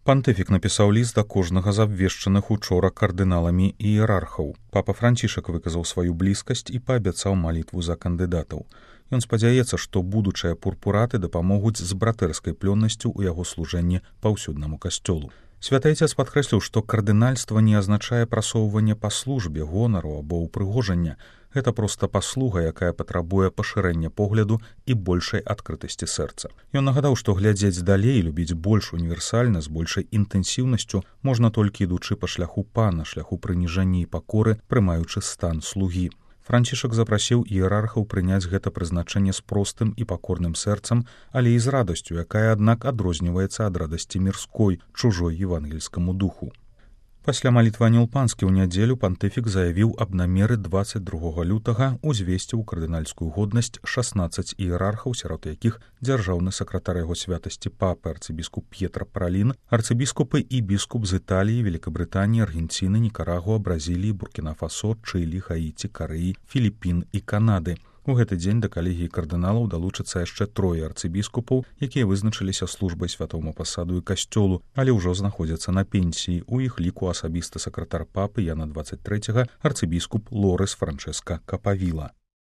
Пантыфік напісаў ліст да кожнага з абвешчаных учора кардыналамі і іерархаў. Папа Францішак выказаў сваю блізкасць і паабяцаў малітву за кандыдатаў. Ён спадзяецца, што будучыя пурпураты дапамогуць з братэрскай плённасцю ў яго служэнні паўсюднаму касцёлу. Святы Айцец падкрэсліў, што кардынальства не азначае прасоўванне па службе, гонару або ўпрыгожання. Гэта проста паслуга, якая патрабуе пашырэння погляду і большай адкрытасці сэрца. Ён нагадаў, што глядзець далей, любіць больш універсальна, з большай інтэнсіўнасцю можна толькі ідучы па шляху пана, шляху прыніжання і пакоры, прымаючы стан слугі. Францішак запрасіў іерархаў прыняць гэта прызначэнне з простым і пакорным сэрцам, але і з радасцю, якая, аднак, адрозніваецца ад радасці мірской, чужой евангельскаму духу. Пасля малітвы Анёл Панскі ў нядзелю пантыфік заявіў аб намеры 22 лютага узвесці ў кардынальскую годнасць 16 іерархаў, сярод якіх дзяржаўны сакратар яго святасці папы арцыбіскуп П'етра Паралін, арцыбіскупы і біскуп з Італіі, Великабрытаніі, Аргенціны, Нікарагуа, Бразіліі, Буркіна-Фасо, Чылі, Гаіці, Карэі, Філіпін і Канады. У гэты дзень да калегіі кардыналаў далучацца яшчэ 3 арцыбіскупаў, якія вызначыліся службай святому пасаду і касцёлу, але ўжо знаходзяцца на пенсіі. У іх ліку асабісты сакратар папы Яна 23, арцыбіскуп Лорес Франческа Капавіла.